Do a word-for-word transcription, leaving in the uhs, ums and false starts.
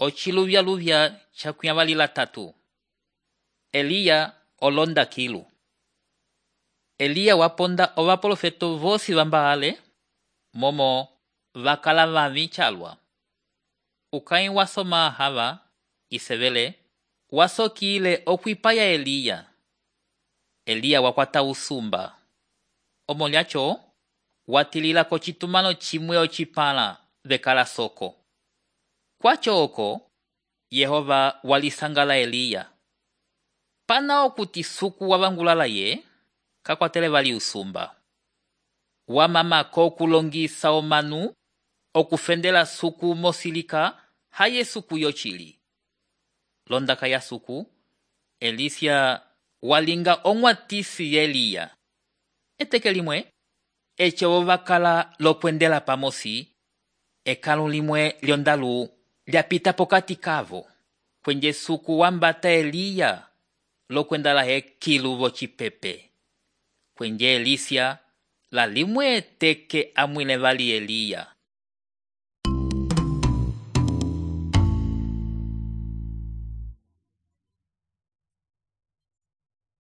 ociluvya-luvya cakuyavalila tatu. Eliya olonda kilu. Eliya waponda ovaprofeto vosi vambaale, momo vakala vami calwa. Ukãyi wasoma hava, isevele, wasokile okwipaya Eliya. Eliya wakwata usumba. Omolyaco, watilila kocitumano cimwe ocipãla vekala soko. Kwaco oko, Yehova walisangala Eliya. Pana okuti suku wavangulala ye, kakwatele vali usumba. Wamama kokulongisa omanu, okufendela suku mosilika, haye suku yocili. Londaka ya suku, Elisya walinga onwatisi ye Eliya. Eteke limwe, echo vakala lokwendela pamosi, ekalu limwe lyondalu lyapita pokati kavo, kwenye suku wambata Eliya, lokwendala he kilu vocipepe. Kwenye Elisya, la limwe eteke amwile vali Eliya.